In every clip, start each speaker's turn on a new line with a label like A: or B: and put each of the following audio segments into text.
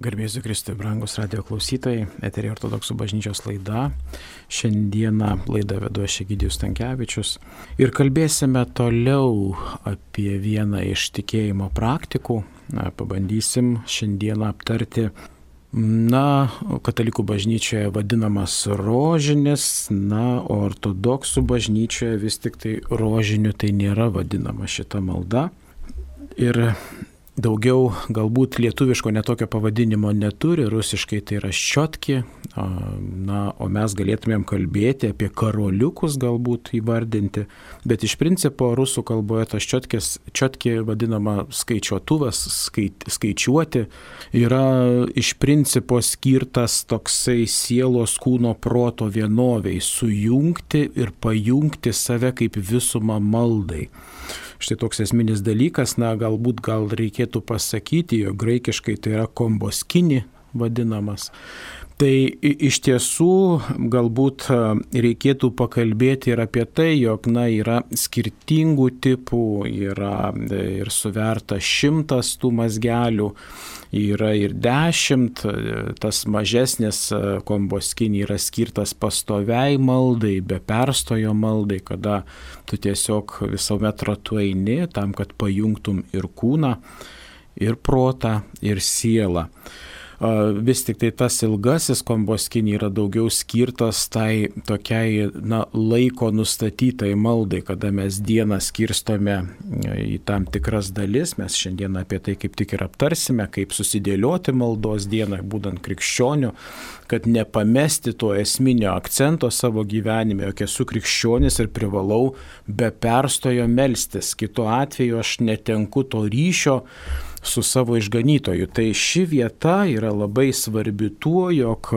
A: Garbėsiu Kristui, brangus radio klausytojai, eterija Ortodoksų bažnyčios laida. Šiandieną laidą vedu aš Egidijus Stankevičius ir kalbėsime toliau apie vieną iš tikėjimo praktikų. Pabandysim šiandieną aptarti, katalikų bažnyčioje vadinamas rožinis, o ortodoksų bažnyčioje vis tik tai rožiniu tai nėra vadinama šita malda. Ir daugiau galbūt lietuviško netokio pavadinimo neturi, rusiškai tai yra ščiotki, o mes galėtumėm kalbėti apie karoliukus galbūt įvardinti, bet iš principo rusų kalboje tas ščiotki vadinama skaičiuotuvas, skaičiuoti, yra iš principo skirtas toksai sielos kūno proto vienoviai, sujungti ir pajungti save kaip visumą maldai. Štai toks esminis dalykas, galbūt reikėtų pasakyti, jog graikiškai tai yra komboskini vadinamas. Tai iš tiesų galbūt reikėtų pakalbėti ir apie tai, jog yra skirtingų tipų, yra ir suverta 100 tų mazgelių, yra ir 10, tas mažesnis komboskini yra skirtas pastoviai maldai, be perstojo maldai, kada tu tiesiog visuomet ratu eini tam, kad pajungtum ir kūną, ir protą, ir sielą. Vis tik tai tas ilgasis komboskini yra daugiau skirtas tai tokiai laiko nustatytai maldai, kada mes dieną skirstome į tam tikras dalis. Mes šiandien apie tai kaip tik ir aptarsime, kaip susidėlioti maldos dieną, būdant krikščioniu, kad nepamesti to esminio akcento savo gyvenime, jog esu krikščionis ir privalau be perstojo melstis. Kitu atveju aš netenku to ryšio su savo išganytoju. Tai ši vieta yra labai svarbi tuo, jog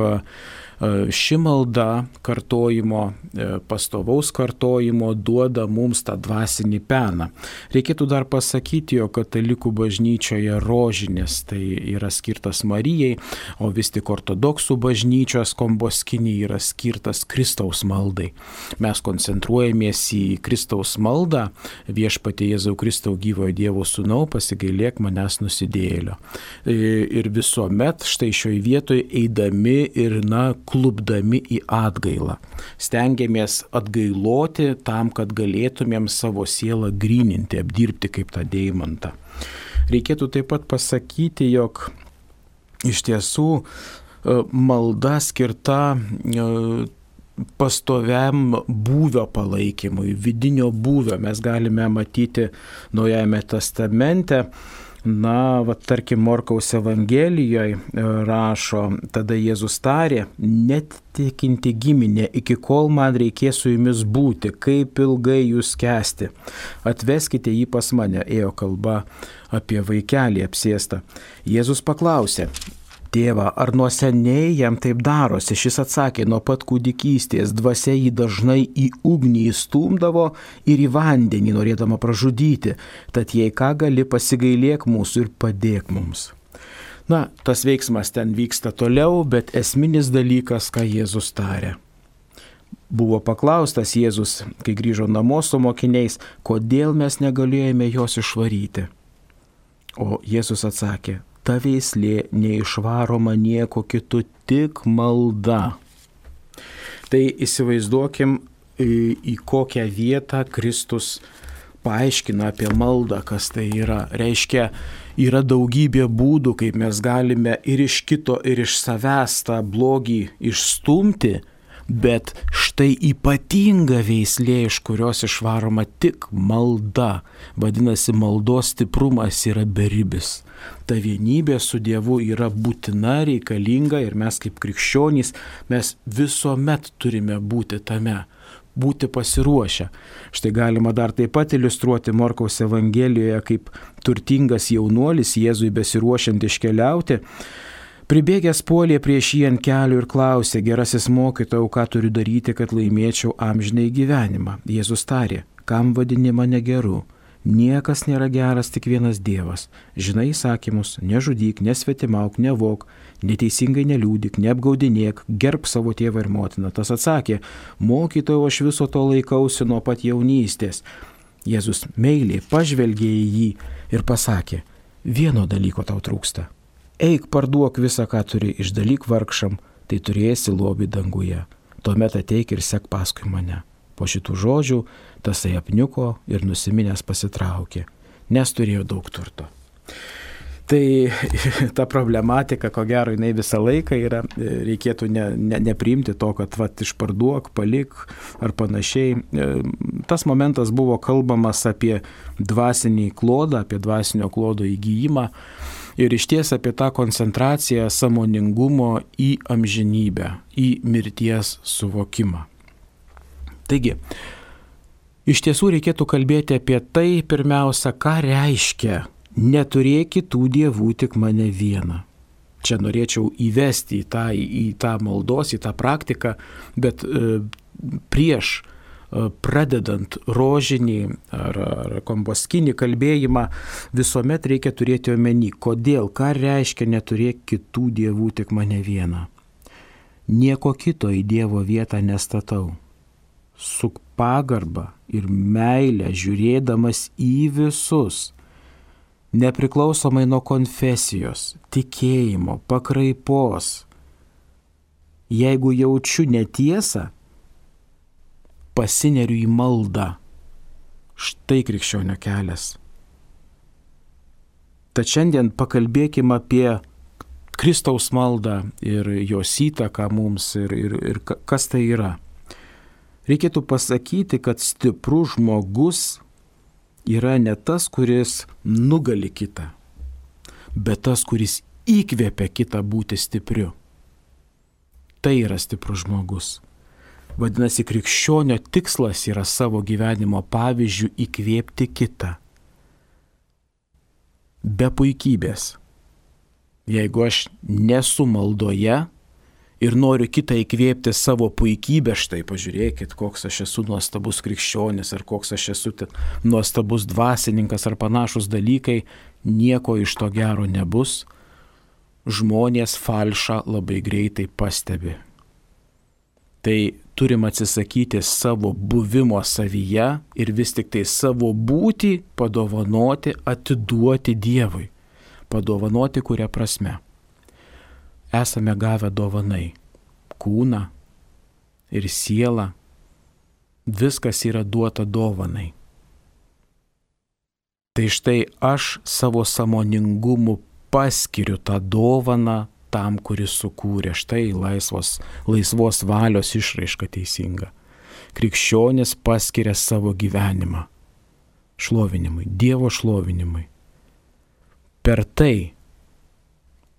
A: ši malda kartojimo, pastovaus kartojimo duoda mums tą dvasinį peną. Reikėtų dar pasakyti, jog katalikų bažnyčioje rožinis tai yra skirtas Marijai, o vis tik ortodoksų bažnyčios komboskini yra skirtas Kristaus maldai. Mes koncentruojamės į Kristaus maldą, viešpatie Jėzau Kristau gyvojo Dievo sūnau, pasigailėk manęs nusidėjėlio. Ir visuomet štai šioje vietoje eidami ir klupdami į atgailą. Stengiamės atgailoti tam, kad galėtumėm savo sielą gryninti, apdirbti kaip tą deimantą. Reikėtų taip pat pasakyti, jog iš tiesų malda skirta pastoviam būvio palaikymui, vidinio būvio. Mes galime matyti Naujajame testamente, tarkim, Morkaus Evangelijoje rašo, tada Jėzus tarė, net tikinti giminė, iki kol man reikės su jumis būti, kaip ilgai jūs kęsti. Atveskite jį pas mane, ėjo kalba apie vaikelį apsėstą. Jėzus paklausė, Tėvą, ar nuo seniai jam taip darosi? Šis atsakė, nuo pat kūdikystės dvasia jį dažnai į ugnį įstumdavo ir į vandenį norėdama pražudyti. Tad jei ką gali, pasigailėk mūsų ir padėk mums. Tas veiksmas ten vyksta toliau, bet esminis dalykas, ką Jėzus tarė. Buvo paklaustas Jėzus, kai grįžo namo su mokiniais, kodėl mes negalėjome jos išvaryti. O Jėzus atsakė, ta veislė neišvaroma nieko kitu, tik malda. Tai įsivaizduokim, į kokią vietą Kristus paaiškina apie maldą, kas tai yra. Reiškia, yra daugybė būdų, kaip mes galime ir iš kito, ir iš savęs tą blogį išstumti, bet štai ypatinga veislė, iš kurios išvaroma tik malda. Vadinasi, maldos stiprumas yra beribis. Ta vienybė su Dievu yra būtina, reikalinga ir mes kaip krikščionys, mes visuomet turime būti tame, būti pasiruošę. Štai galima dar taip pat iliustruoti Morkaus Evangelijoje, kaip turtingas jaunuolis Jėzui besiruošiant iškeliauti, pribėgęs puolė prieš jį ant kelių ir klausė, gerasis mokytojau, ką turiu daryti, kad laimėčiau amžinąjį gyvenimą. Jėzus tarė, kam vadini mane geru? Niekas nėra geras, tik vienas Dievas. Žinai įsakymus, nežudyk, nesvetimauk, nevok, neteisingai neliūdik, neapgaudinėk, gerbk savo tėvą ir motiną. Tas atsakė, mokytojau, aš viso to laikausi nuo pat jaunystės. Jėzus meiliai pažvelgė į jį ir pasakė, vieno dalyko tau trūksta. Eik parduok visą, ką turi, išdalyk vargšam, tai turėsi lobį danguje. Tuomet ateik ir sek paskui mane. Po šitų žodžių tasai apniuko ir nusiminęs pasitraukė, nes turėjo daug turto. Tai ta problematika, ko gero, jinai visą laiką yra, reikėtų nepriimti to, kad išparduok, palik ar panašiai. Tas momentas buvo kalbamas apie dvasinį klodą, apie dvasinio klodo įgyjimą ir išties apie tą koncentraciją sąmoningumo į amžinybę, į mirties suvokimą. Taigi, iš tiesų reikėtų kalbėti apie tai pirmiausia, ką reiškia neturėk kitų dievų, tik mane vieną. Čia norėčiau įvesti į tą maldos, į tą praktiką, bet prieš pradedant rožinį ar komboskinį kalbėjimą visuomet reikia turėti omeny, kodėl, ką reiškia neturėk kitų dievų, tik mane vieną. Nieko kito į Dievo vietą nestatau. Su pagarba ir meile žiūrėdamas į visus, nepriklausomai nuo konfesijos, tikėjimo, pakraipos. Jeigu jaučiu netiesą, pasineriu į maldą. Štai krikščionio kelias. Tad šiandien pakalbėkime apie Kristaus maldą ir jos įtaką mums ir kas tai yra. Reikėtų pasakyti, kad stiprus žmogus yra ne tas, kuris nugali kitą, bet tas, kuris įkvėpia kitą būti stipriu. Tai yra stiprus žmogus. Vadinasi, krikščionio tikslas yra savo gyvenimo pavyzdžių įkvėpti kitą. Be puikybės. Jeigu aš nesu maldoje ir noriu kitą įkvėpti savo puikybę, štai pažiūrėkit, koks aš esu nuostabus krikščionis, ar koks aš esu nuostabus dvasininkas, ar panašus dalykai, nieko iš to gero nebus. Žmonės falšą labai greitai pastebi. Tai turim atsisakyti savo buvimo savyje ir vis tik tai savo būtį padovanoti, atiduoti Dievui. Padovanoti kuria prasme. Esame gavę dovanai. Kūną ir sielą. Viskas yra duota dovanai. Tai štai aš savo sąmoningumu paskiriu tą dovaną tam, kuris sukūrė. Štai laisvos valios išraiška teisinga. Krikščionis paskiria savo gyvenimą šlovinimui, Dievo šlovinimui. Per tai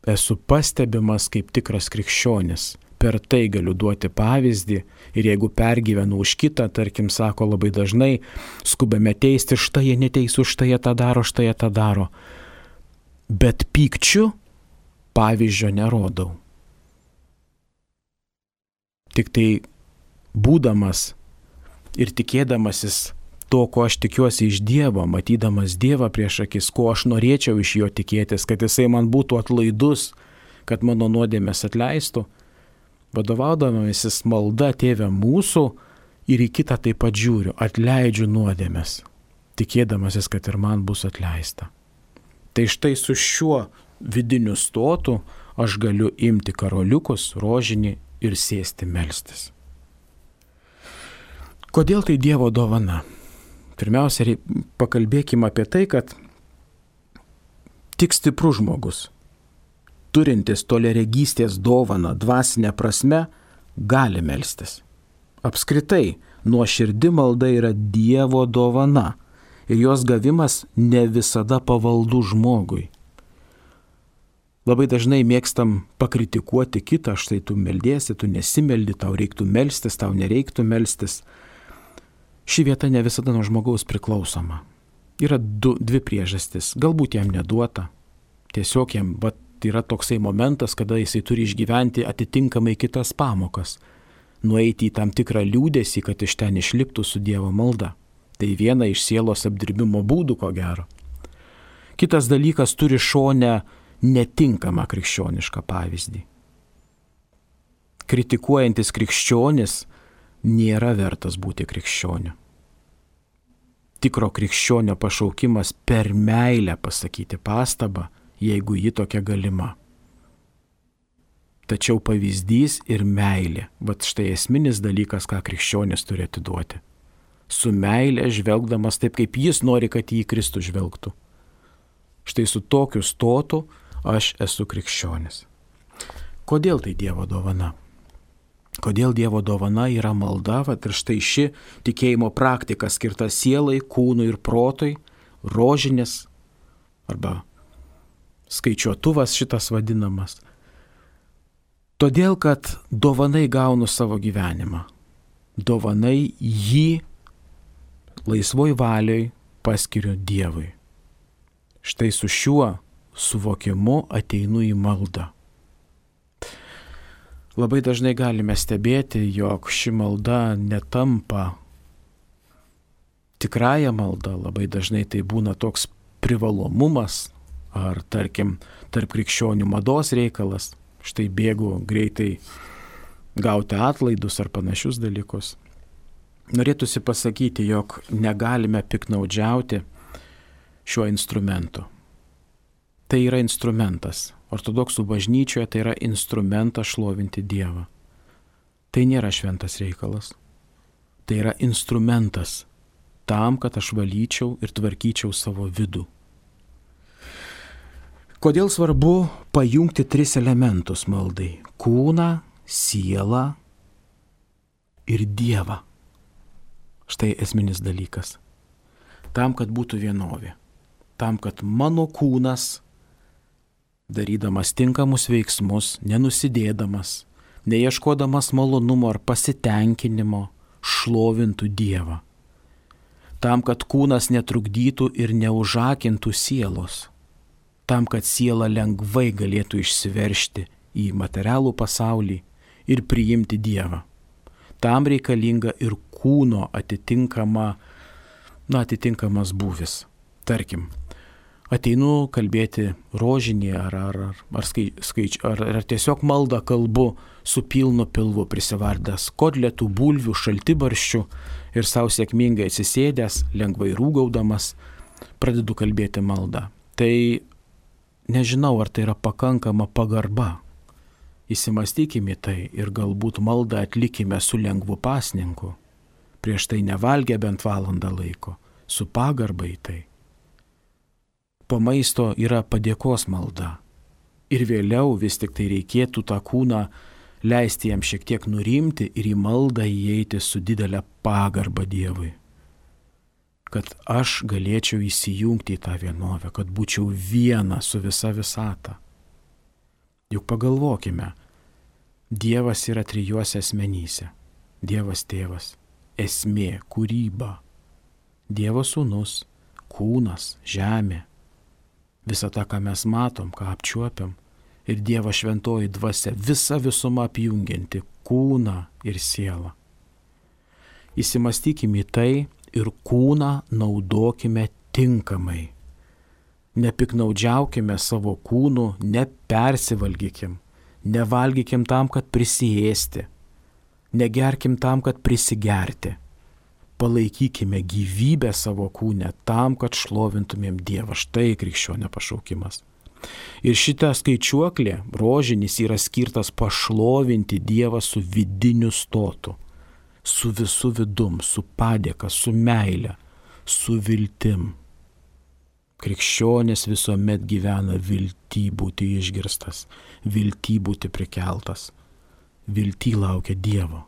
A: esu pastebimas kaip tikras krikščionis. Per tai galiu duoti pavyzdį ir jeigu pergyvenu už kitą, tarkim, sako labai dažnai, skubame teisti, štai jie neteisų, štai jie tą daro, štai jie tą daro. Bet pykčiu pavyzdžio nerodau. Tik tai būdamas ir tikėdamasis to, ko aš tikiuosi iš Dievo, matydamas Dievą prieš akis, ko aš norėčiau iš jo tikėtis, kad jisai man būtų atlaidus, kad mano nuodėmės atleistų, vadovaudamasis malda Tėve mūsų ir į kitą taip pat žiūriu, atleidžiu nuodėmės, tikėdamasis, kad ir man bus atleista. Tai štai su šiuo vidiniu stotu aš galiu imti karoliukus, rožinį ir sėsti melstis. Kodėl tai Dievo dovana? Pirmiausia, pakalbėkime apie tai, kad tik stiprus žmogus, turintis toliaregystės dovaną dvasinę prasme, gali melstis. Apskritai, nuoširdi malda yra Dievo dovana ir jos gavimas ne visada pavaldu žmogui. Labai dažnai mėgstam pakritikuoti kitą, štai tu meldiesi, tu nesimeldi, tau reiktų melstis, tau nereiktų melstis. Ši vieta ne visada nuo žmogaus priklausoma. Yra dvi priežastis. Galbūt jam neduota. Tiesiog jam yra toksai momentas, kada jisai turi išgyventi atitinkamai kitas pamokas. Nueiti į tam tikrą liūdesį, kad iš ten išliptų su Dievo malda. Tai viena iš sielos apdirbimo būdų, ko gero. Kitas dalykas turi šone netinkamą krikščionišką pavyzdį. Kritikuojantis krikščionis nėra vertas būti krikščioniu. Tikro krikščionio pašaukimas per meilę pasakyti pastabą, jeigu ji tokia galima. tačiau pavyzdys ir meilė. Vat štai esminis dalykas, ką krikščionis turi atiduoti. Su meilė žvelgdamas taip, kaip jis nori, kad jį Kristų žvelgtų. Štai su tokiu stotu aš esu krikščionis. Kodėl tai Dievo dovana? Kodėl Dievo dovana yra malda, vat ir štai ši tikėjimo praktika skirta sielai, kūnui ir protui, rožinis arba skaičiuotuvas šitas vadinamas. Todėl, kad dovanai gaunu savo gyvenimą. Dovanai jį laisvoj valioj paskiriu Dievui. Štai su šiuo suvokimu ateinu į maldą. Labai dažnai galime stebėti, jog ši malda netampa tikrąją maldą. Labai dažnai tai būna toks privalomumas ar, tarkim, tarp krikščionių mados reikalas. Štai bėgu greitai gauti atlaidus ar panašius dalykus. Norėtųsi pasakyti, jog negalime piknaudžiauti šiuo instrumentu. Tai yra instrumentas. Ortodoksų bažnyčioje tai yra instrumentas šlovinti Dievą. Tai nėra šventas reikalas. Tai yra instrumentas tam, kad aš valyčiau ir tvarkyčiau savo vidų. Kodėl svarbu pajungti 3 elementus maldai? Kūną, sielą ir Dievą. Štai esminis dalykas. Tam, kad būtų vienovė. Tam, kad mano kūnas, darydamas tinkamus veiksmus, nenusidėdamas, neieškodamas malonumo ar pasitenkinimo, šlovintų Dievą. Tam, kad kūnas netrukdytų ir neužakintų sielos. Tam, kad siela lengvai galėtų išsiveržti į materialų pasaulį ir priimti Dievą. Tam reikalinga ir kūno atitinkamas būvis. Tarkim, ateinu kalbėti rožinį ar tiesiog maldą kalbu su pilnu pilvu prisivardęs kotletų, bulvių, šaltibarščių ir savo sėkmingai atsisėdęs, lengvai rūgaudamas, pradedu kalbėti maldą. Tai nežinau, ar tai yra pakankama pagarba. Įsimastykime tai ir galbūt maldą atlikime su lengvu pasninku. Prieš tai nevalgę bent valandą laiko, su pagarba į tai. Po maisto yra padėkos malda. Ir vėliau vis tik tai reikėtų tą kūną leisti jam šiek tiek nurimti ir į maldą įeiti su didelė pagarba Dievui. Kad aš galėčiau įsijungti į tą vienovę, kad būčiau viena su visa visata. Juk pagalvokime, Dievas yra 3 asmenyse. Dievas tėvas, esmė, kūryba, Dievo sūnus, kūnas, žemė, visa tą, ką mes matom, ką apčiuopiam, ir Dievo šventoji dvasia, visa visuma apjungianti kūną ir sielą. Įsimastykime į tai ir kūną naudokime tinkamai. Nepiknaudžiaukime savo kūnų, nepersivalgykim, nevalgykim tam, kad prisiėsti, negerkim tam, kad prisigerti. Palaikykime gyvybę savo kūne tam, kad šlovintumėm Dievą. Štai krikščionio pašaukimas. Ir šita skaičiuoklė, rožinis, yra skirtas pašlovinti Dievą su vidiniu stotu, su visu vidum, su padėka, su meile, su viltim. Krikščionis visuomet gyvena viltį būti išgirstas, viltį būti prikeltas, viltį laukia Dievo.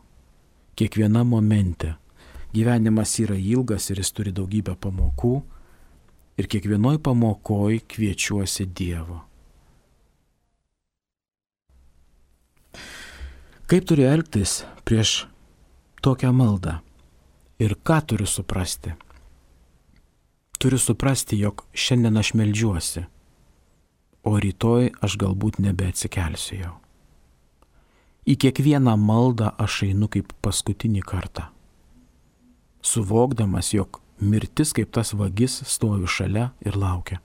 A: Kiekviena momente gyvenimas yra ilgas ir jis turi daugybę pamokų ir kiekvienoj pamokoj kviečiuosi Dievo. Kaip turiu elgtis prieš tokią maldą ir ką turiu suprasti? Turiu suprasti, jog šiandien aš meldžiuosi, o rytoj aš galbūt nebeatsikelsiu jau. Į kiekvieną maldą aš einu kaip paskutinį kartą, suvokdamas, jog mirtis kaip tas vagis stovi šalia ir laukia.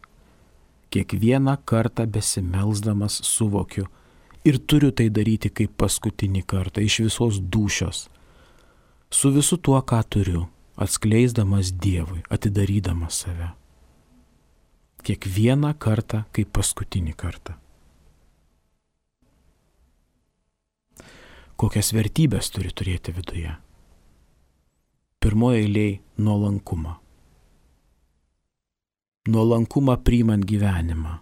A: Kiekvieną kartą besimelsdamas suvokiu ir turiu tai daryti kaip paskutinį kartą iš visos dūšios, su visu tuo, ką turiu, atskleisdamas Dievui, atidarydamas save. Kiekvieną kartą kaip paskutinį kartą. kokias vertybės turi turėti viduje. Pirmoje eilėje nuolankumą. Nuolankumą priimant gyvenimą.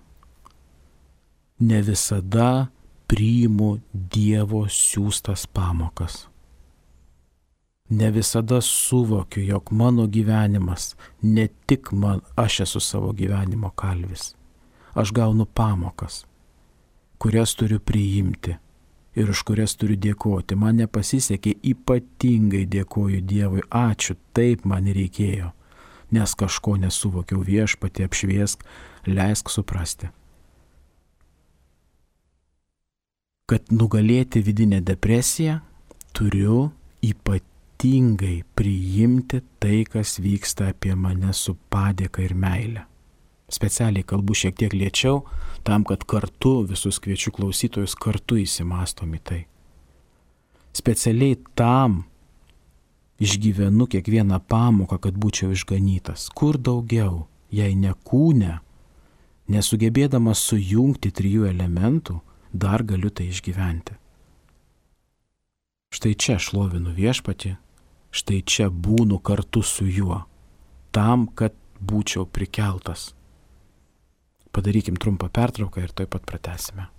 A: Ne visada priimu Dievo siųstas pamokas. Ne visada suvokiu, jog mano gyvenimas, ne tik aš esu savo gyvenimo kalvis. Aš gaunu pamokas, kurias turiu priimti ir už kurias turiu dėkoti. Man nepasisekė, ypatingai dėkoju Dievui. Ačiū, taip man reikėjo, nes kažko nesuvokiau. Viešpatie, apšviesk, leisk suprasti. Kad nugalėti vidinę depresiją, turiu ypatingai priimti tai, kas vyksta apie mane su padėka ir meile. Specialiai kalbu šiek tiek lėčiau, tam, kad kartu visus kviečiu klausytojus kartu įsimastom į tai. Specialiai tam išgyvenu kiekvieną pamoką, kad būčiau išganytas. Kur daugiau, jei ne kūne, nesugebėdamas sujungti 3 elementų, dar galiu tai išgyventi. Štai čia šlovinu Viešpatį, štai čia būnu kartu su juo, tam, kad būčiau prikeltas. Padarykim trumpą pertrauką ir tuoj pat pratęsime.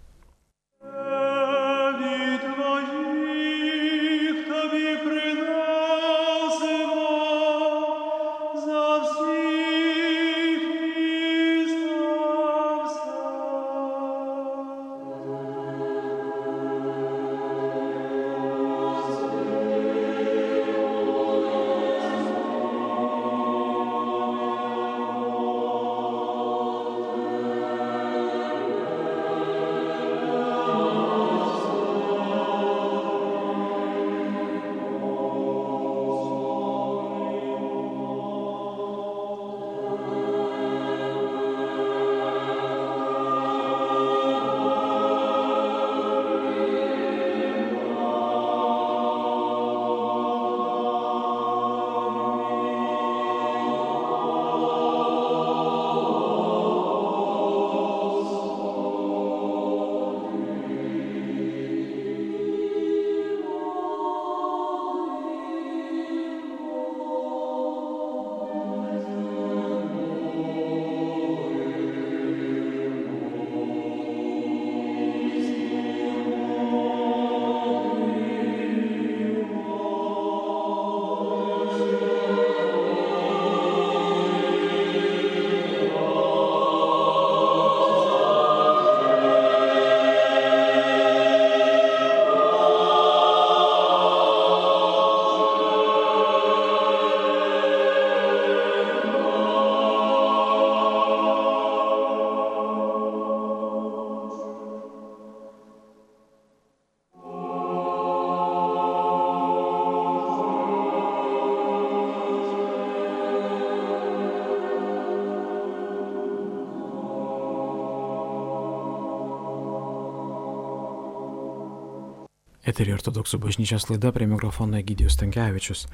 A: Eterį ortodoksų bažnyčios laida, prie mikrofono Egidijus Stankevičius.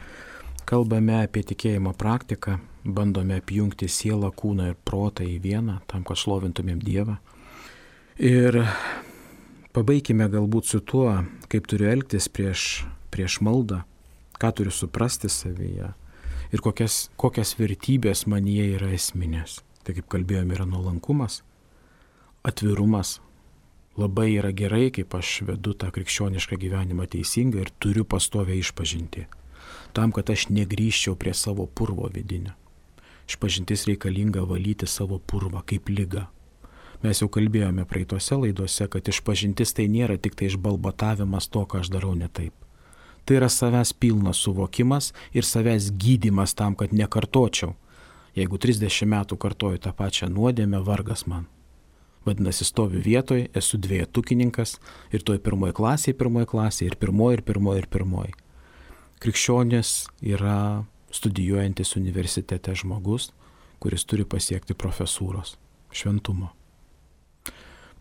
A: Kalbame apie tikėjimo praktiką, bandome apjungti sielą, kūną ir protą į vieną, tam, kad šlovintumėm Dievą. Ir pabaikime galbūt su tuo, kaip turiu elgtis prieš maldą, ką turiu suprasti savyje ir kokias vertybės manyje yra esminės. Tai kaip kalbėjome, yra nuolankumas, atvirumas. Labai yra gerai, kaip aš vedu tą krikščionišką gyvenimą teisingai ir turiu pastovę išpažinti. Tam, kad aš negrįžčiau prie savo purvo vidinio. Išpažintis reikalinga valyti savo purvą kaip ligą. Mes jau kalbėjome praeitose laidose, kad išpažintis tai nėra tik tai išbalbatavimas to, ką aš darau ne taip. Tai yra savęs pilnas suvokimas ir savęs gydymas tam, kad nekartočiau. Jeigu 30 metų kartoju tą pačią nuodėmę, vargas man. Vadinasi, stoviu vietoj, esu dvejetukininkas ir toj pirmoji klasė ir pirmoji. Krikščionis yra studijuojantis universitete žmogus, kuris turi pasiekti profesūros, šventumo.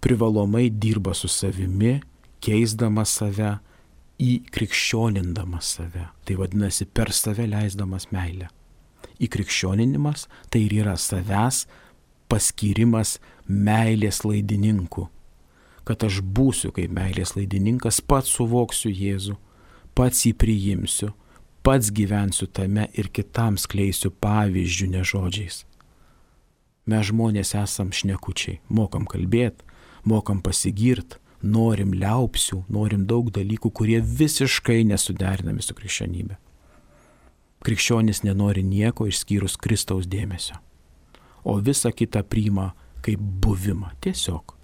A: Privalomai dirba su savimi, keisdamas save, įkrikščionindamas save. Tai vadinasi, per save leisdamas meilę. Įkrikščioninimas tai ir yra savęs paskyrimas meilės laidininku. kad aš būsiu kaip meilės laidininkas, pats suvoksiu Jėzų, pats jį priimsiu, pats gyvensiu tame ir kitam skleisiu pavyzdžių, ne žodžiais. Mes žmonės esam šnekučiai, mokam kalbėti, mokam pasigirti, norim liaupsių, norim daug dalykų, kurie visiškai nesuderinami su krikščionybė. Krikščionis nenori nieko išskyrus Kristaus dėmesio, o visą kitą priima kaip buvimą. Tiesiog.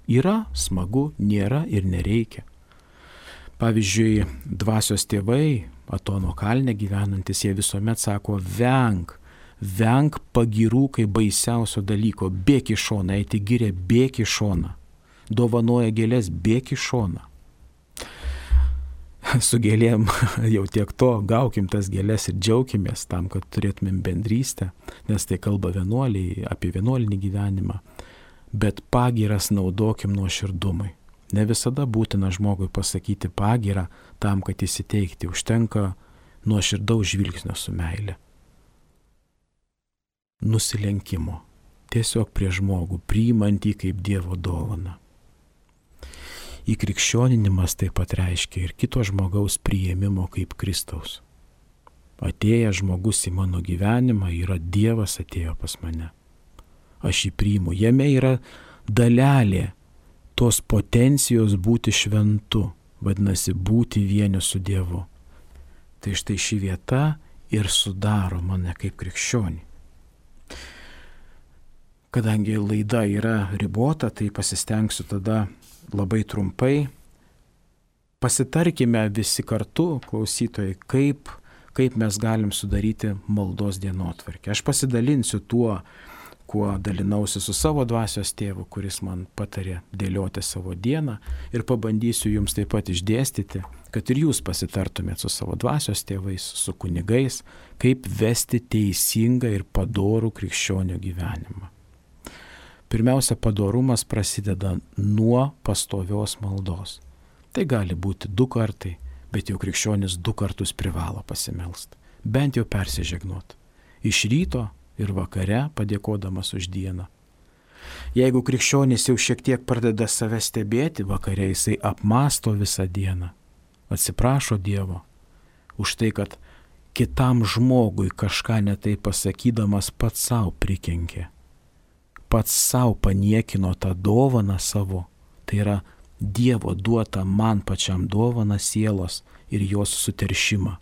A: Yra smagu, nėra ir nereikia. Pavyzdžiui, dvasios tėvai, Atono kalne gyvenantis, jie visuomet sako, venk pagirų kaip baisiausio dalyko, bėk į šoną, eiti gyrė, bėk į šoną, dovanoja gėlės, bėk į šoną. Su gėlėm jau tiek to, gaukim tas gėlės ir džiaukimės tam, kad turėtumėm bendrystę, nes tai kalba vienuoliai apie vienuolinį gyvenimą, bet pagiras naudokim nuoširdumui. Ne visada būtina žmogui pasakyti pagirą tam, kad įsiteikti, užtenka nuoširdaus žvilgsnio su meile. Nusilenkimo, tiesiog prie žmogų, priimant jį kaip Dievo dovaną. Įkrikščioninimas taip pat reiškia ir kito žmogaus priėmimo kaip Kristaus. Atėjęs žmogus į mano gyvenimą, yra Dievas atėjo pas mane. Aš jį priimu, jame yra dalelė tos potencijos būti šventu, vadinasi, būti vieniu su Dievu. Tai štai ši vieta ir sudaro mane kaip krikščionį. Kadangi laida yra ribota, tai pasistengsiu tada labai trumpai. Pasitarkime visi kartu, klausytojai, kaip mes galim sudaryti maldos dienotvarkę. Aš pasidalinsiu tuo, kuo dalinausi su savo dvasios tėvu, kuris man patarė dėlioti savo dieną, ir pabandysiu jums taip pat išdėstyti, kad ir jūs pasitartumėt su savo dvasios tėvais, su kunigais, kaip vesti teisingą ir padorų krikščionio gyvenimą. Pirmiausia, padorumas prasideda nuo pastovios maldos. Tai gali būti 2 kartai, bet jau krikščionis 2 kartus privalo pasimelst, bent jau persižegnot. Iš ryto ir vakare padėkodamas už dieną. Jeigu krikščionis jau šiek tiek pradeda save stebėti, vakare jisai apmąsto visą dieną. Atsiprašo Dievo už tai, kad kitam žmogui kažką netai pasakydamas pats savo prikenkė. Pats savo paniekino tą dovaną savo. Tai yra Dievo duota man pačiam dovana sielos ir jos suteršimą.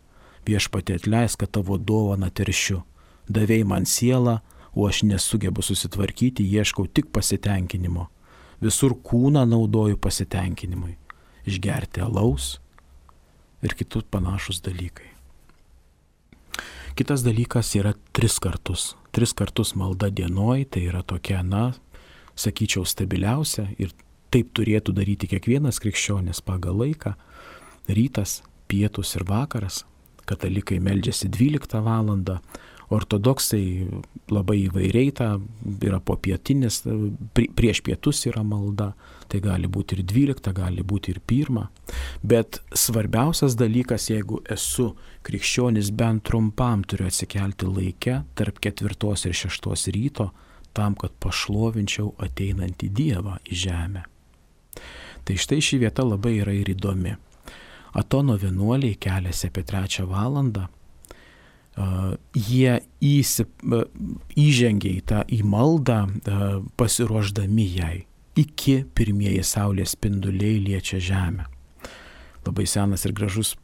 A: Viešpatie atleisk, kad tavo dovaną teršiu. Davei man sielą, o aš nesugebu susitvarkyti, ieškau tik pasitenkinimo. Visur kūną naudoju pasitenkinimui. Išgerti alaus ir kitus panašus dalykai. Kitas dalykas yra 3 kartus. 3 kartus malda dienoj, tai yra tokia, sakyčiau, stabiliausia ir taip turėtų daryti kiekvienas krikščionis pagal laiką. Rytas, pietus ir vakaras. Katalikai meldžiasi 12 valandą. Ortodoksai labai įvairiai yra popietinis, prieš pietus yra malda, tai gali būti ir 12, gali būti ir 1. Bet svarbiausias dalykas, jeigu esu krikščionis, bent trumpam turiu atsikelti laike tarp 4 ir 6 ryto, tam, kad pašlovinčiau ateinantį Dievą į žemę. Tai štai ši vieta labai yra ir įdomi. Atono vienuoliai keliasi apie 3 valandą. Jie įžengia į maldą, pasiruošdami jai, iki pirmieji saulės spinduliai liečia žemę. Labai senas ir gražus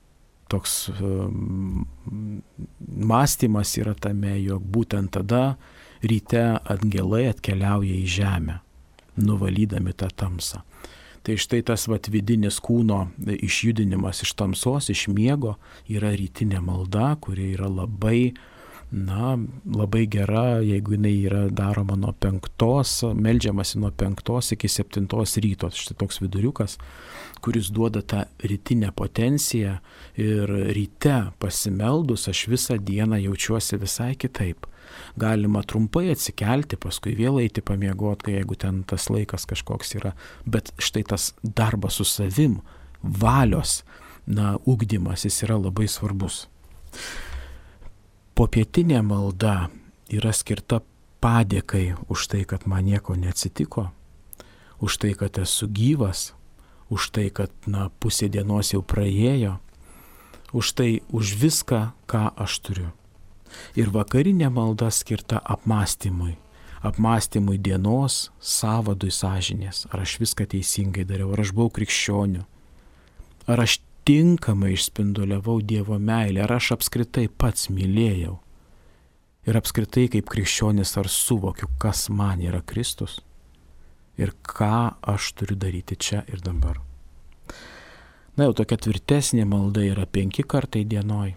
A: toks mąstymas yra tame, jog būtent tada ryte angelai atkeliauja į žemę, nuvalydami tą tamsą. Tai štai tas vidinis kūno išjudinimas iš tamsos, iš miego yra rytinė malda, kuri yra labai gera, jeigu jinai yra daroma nuo 5, meldžiamasi nuo 5 iki 7 ryto. Štai toks viduriukas, kuris duoda tą rytinę potenciją ir ryte pasimeldus aš visą dieną jaučiuosi visai kitaip. Galima trumpai atsikelti, paskui vėl eiti pamiegoti, jeigu ten tas laikas kažkoks yra. Bet štai tas darbas su savim, valios, ugdymas, jis yra labai svarbus. Popietinė malda yra skirta padėkai už tai, kad man nieko neatsitiko. už tai, kad esu gyvas, už tai, kad pusė dienos jau praėjo, už tai, už viską, ką aš turiu. Ir vakarinė malda skirta apmąstymui. Apmąstymui dienos, savadui sąžinės. Ar aš viską teisingai dariau, ar aš buvau krikščioniu, ar aš tinkamai išspinduliavau Dievo meilę, ar aš apskritai pats mylėjau. Ir apskritai kaip krikščionis ar suvokiu, kas man yra Kristus ir ką aš turiu daryti čia ir dabar. Jau tokia tvirtesnė malda yra 5 kartai dienoj.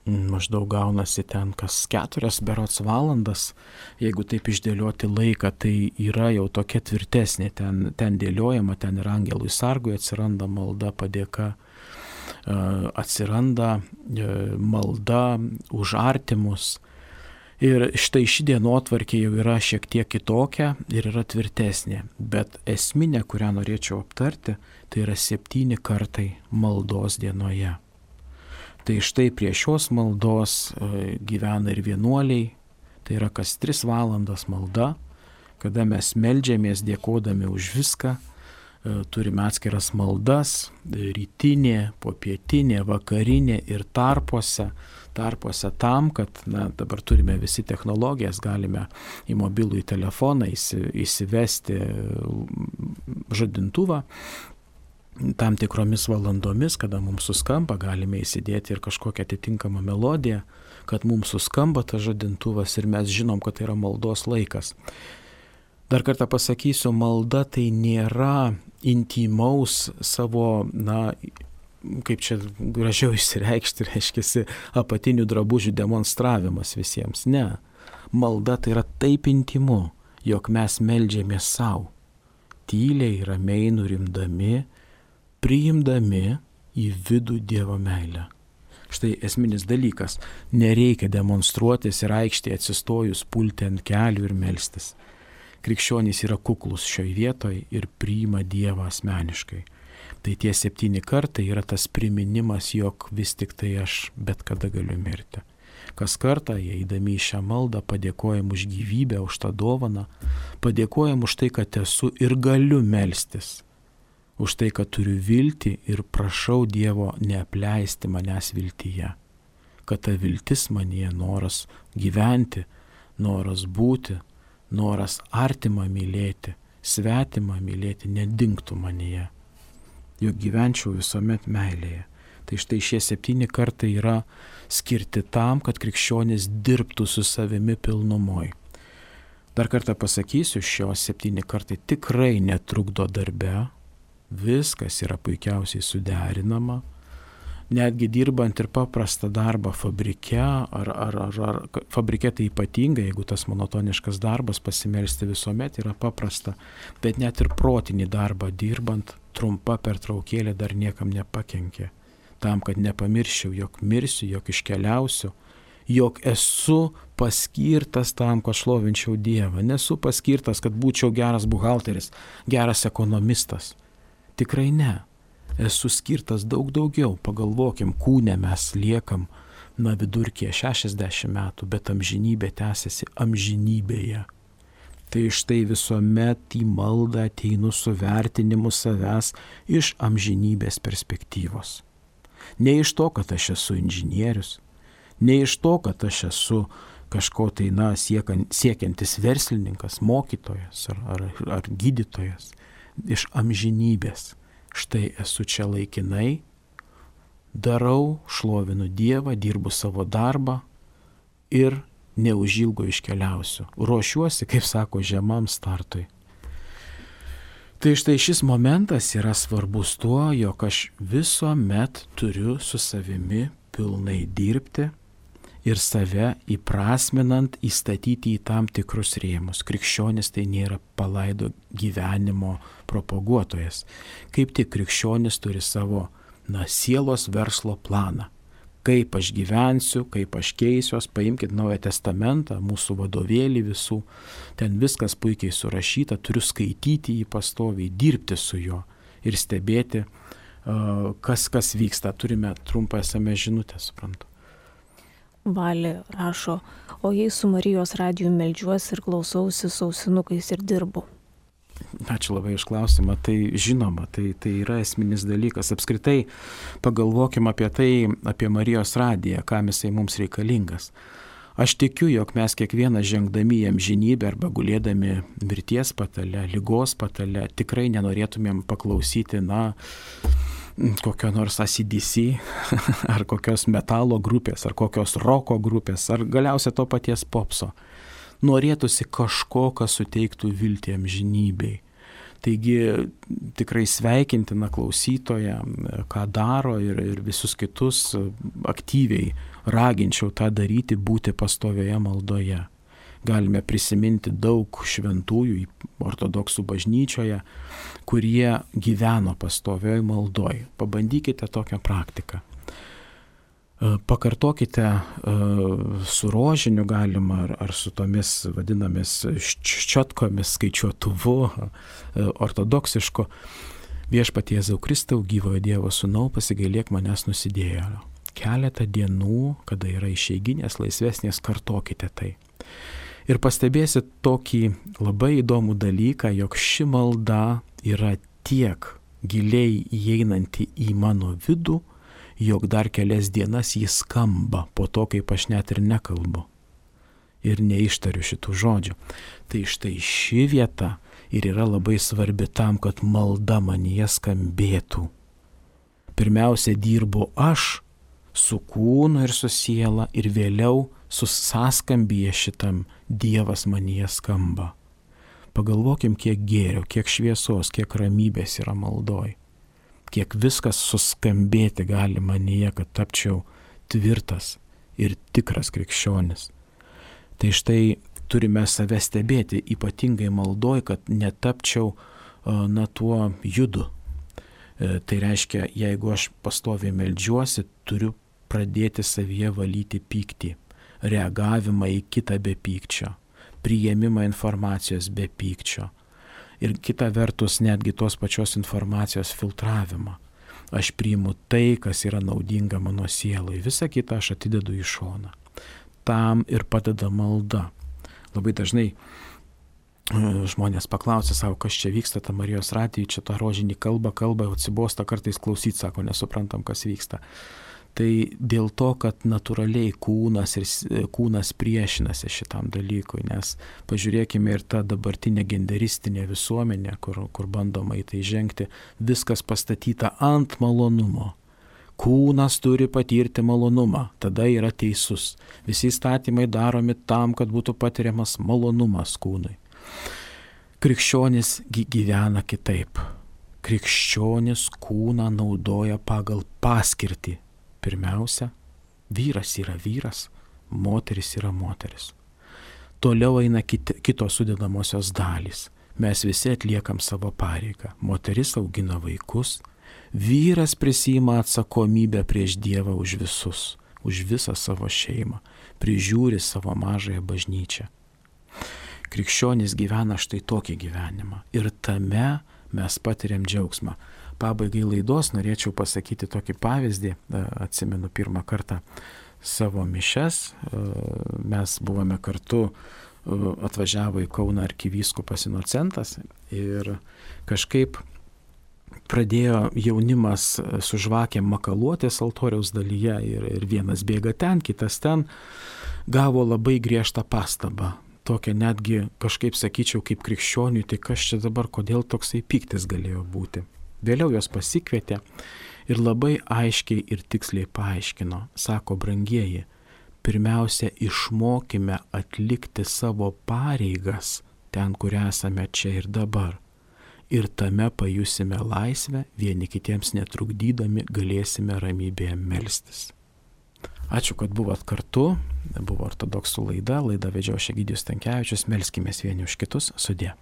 A: Maždaug gaunasi ten kas 4 berods valandas. Jeigu taip išdėlioti laiką, tai yra jau tokia tvirtesnė. Ten dėliojama, ten ir angelui sargui atsiranda malda, padėka, atsiranda malda už artimus. Ir štai ši dienotvarkė jau yra šiek tiek kitokia ir yra tvirtesnė. Bet esminė, kurią norėčiau aptarti, tai yra 7 kartai maldos dienoje. Tai štai prie šios maldos gyvena ir vienuoliai, tai yra kas 3 valandas malda, kada mes meldžiamės dėkodami už viską, turime atskiras maldas, rytinė, popietinė, vakarinė ir tarpuose tam, kad dabar turime visi technologijas, galime į mobilųjį telefoną įsivesti žadintuvą, tam tikromis valandomis, kada mums suskamba, galime įsidėti ir kažkokią atitinkamą melodiją, kad mums suskamba tas žadintuvas ir mes žinom, kad tai yra maldos laikas. Dar kartą pasakysiu, malda tai nėra intymaus savo, kaip čia gražiau išsireikšti, reiškiasi apatinių drabužių demonstravimas visiems. Ne. Malda tai yra taip intymu, jog mes meldžiamės savo, tyliai, ramiai nurimdami, priimdami į vidų Dievo meilę. Štai esminis dalykas. Nereikia demonstruotis ir aikštėje atsistojus pulti ant kelių ir melstis. Krikščionys yra kuklus šioj vietoj ir priima Dievą asmeniškai. Tai tie 7 kartai yra tas priminimas, jog vis tik tai aš bet kada galiu mirti. Kas kartą, eidami į šią maldą, padėkojam už gyvybę, už tą dovaną, padėkojam už tai, kad esu ir galiu melstis. Už tai, kad turiu viltį ir prašau Dievo neapleisti manęs viltyje. Kad ta viltis manyje, noras gyventi, noras būti, noras artimą mylėti, svetimą mylėti, nedingtų manyje. Juk gyvenčiau visuomet meilėje. Tai štai šie 7 kartai yra skirti tam, kad krikščionis dirbtų su savimi pilnumoj. Dar kartą pasakysiu, šios 7 kartai tikrai netrukdo darbe. Viskas yra puikiausiai suderinama, netgi dirbant ir paprastą darbą fabrike, ar fabrike tai ypatingai, jeigu tas monotoniškas darbas, pasimelsti visuomet yra paprasta, bet net ir protinį darbą dirbant, trumpa pertraukėlė dar niekam nepakenkė, tam, kad nepamirščiau, jog mirsiu, jog iškeliausiu, jog esu paskirtas tam, kad šlovinčiau Dievą, nesu paskirtas, kad būčiau geras buhalteris, geras ekonomistas. Tikrai ne. Esu skirtas daug daugiau. Pagalvokim, kūne mes liekam vidurkyje 60 metų, bet amžinybė tęsiasi amžinybėje. Tai štai visuomet į maldą ateinu su vertinimu savęs iš amžinybės perspektyvos. Ne iš to, kad aš esu inžinierius, ne iš to, kad aš esu kažko tai siekiantis verslininkas, mokytojas ar gydytojas. Iš amžinybės. Štai esu čia laikinai, darau, šlovinu Dievą, dirbu savo darbą ir neužilgo iškeliausiu. Ruošiuosi, kaip sako, žemam startui. Tai štai šis momentas yra svarbus tuo, jog aš visuomet turiu su savimi pilnai dirbti ir save įprasminant įstatyti į tam tikrus rėmus. Krikščionis tai nėra palaido gyvenimo propaguotojas. Kaip tik krikščionis turi savo sielos verslo planą. Kaip aš gyvensiu, kaip aš keisiuos, paimkite Naują Testamentą, mūsų vadovėlį visų, ten viskas puikiai surašyta, turiu skaityti jį pastoviai, dirbti su juo ir stebėti, kas vyksta. Turime trumpą SMS žinutę, suprantu.
B: Valė rašo, o jei su Marijos radiju meldžiuosi ir klausausi su ausinukais ir dirbu.
A: Ačiū labai už klausimą. Tai žinoma, tai yra esminis dalykas. Apskritai pagalvokime apie tai, apie Marijos radiją, kam jisai mums reikalingas. Aš tikiu, jog mes kiekvieną žengdami į amžinybę arba gulėdami mirties patale, ligos patale, tikrai nenorėtumėm paklausyti, kokio nors AC/DC, ar kokios metalo grupės, ar kokios roko grupės, ar galiausiai to paties popso. Norėtųsi kažko, kas suteiktų viltį amžinybei. Taigi tikrai sveikintina klausytoja, ką daro ir visus kitus aktyviai raginčiau tą daryti, būti pastovioje maldoje. Galime prisiminti daug šventųjų ortodoksų bažnyčioje, kurie gyveno pastovioje maldoje. Pabandykite tokią praktiką. Pakartokite su rožiniu galima ar su tomis vadinamis ščiotkomis, skaičiuotuvu, ortodoksišku. Viešpatie Jėzau Kristau, gyvojo Dievo Sūnau, pasigailėk manęs nusidėjėlio. Keletą dienų, kada yra išeiginės, laisvesnės, kartokite tai. Ir pastebėsit tokį labai įdomų dalyką, jog ši malda yra tiek giliai įeinanti į mano vidų, jog dar kelias dienas jis skamba po to, kaip aš net ir nekalbu ir neištariu šitų žodžių. Tai štai ši vieta ir yra labai svarbi tam, kad malda manyje skambėtų. Pirmiausia, dirbu aš su kūnu ir su siela ir vėliau su sąskambyje šitam Dievas manyje skamba. Pagalvokim, kiek gėrio, kiek šviesos, kiek ramybės yra maldoj. Kiek viskas suskambėti gali manyje, kad tapčiau tvirtas ir tikras krikščionis. Tai štai turime save stebėti, ypatingai maldoj, kad netapčiau tuo judu. Tai reiškia, jeigu aš pastoviai meldžiuosi, turiu pradėti savyje valyti pyktį, reagavimą į kitą be pykčio, priėmimą informacijos be pykčio. Ir kita vertus netgi tos pačios informacijos filtravimą. Aš priimu tai, kas yra naudinga mano sielai. Visą kitą aš atidedu į šoną. Tam ir padeda malda. Labai dažnai žmonės paklausia savo, kas čia vyksta, ta Marijos radija, čia tą rožinį kalba, atsibosta kartais klausyti, sako, nesuprantam, kas vyksta. Tai dėl to, kad natūraliai kūnas priešinasi šitam dalykui, nes pažiūrėkime ir tą dabartinę genderistinę visuomenę, kur bandoma į tai žengti, viskas pastatyta ant malonumo. Kūnas turi patirti malonumą, tada yra teisus. Visi įstatymai daromi tam, kad būtų patiriamas malonumas kūnui. Krikščionis gyvena kitaip. Krikščionis kūną naudoja pagal paskirtį. Pirmiausia, vyras yra vyras, moteris yra moteris. Toliau eina kitos sudedamosios dalys. Mes visi atliekam savo pareigą. Moteris augina vaikus, vyras prisiima atsakomybę prieš Dievą už visus, už visą savo šeimą, prižiūri savo mažąją bažnyčią. Krikščionis gyvena štai tokį gyvenimą ir tame mes patiriam džiaugsmą. Pabaigai laidos norėčiau pasakyti tokį pavyzdį. Atsimenu pirmą kartą savo mišias. Mes buvome kartu, atvažiavo į Kauną arkivyskupas Inocentas ir kažkaip pradėjo jaunimas su žvakėm makaluotis altoriaus dalyje ir vienas bėga ten, kitas ten. Gavo labai griežtą pastabą. Tokia netgi kažkaip sakyčiau kaip krikščioniui, tai kas čia dabar, kodėl toksai pyktis galėjo būti. Vėliau jos pasikvietė ir labai aiškiai ir tiksliai paaiškino. Sako, brangieji, pirmiausia išmokime atlikti savo pareigas ten, kur esame čia ir dabar. Ir tame pajusime laisvę, vieni kitiems netrukdydami galėsime ramybėje melstis. Ačiū, kad buvot kartu. Buvo ortodoksų laida vedžiau aš Egidijus Stankevičius. Melskimės vieni už kitus. Sudie.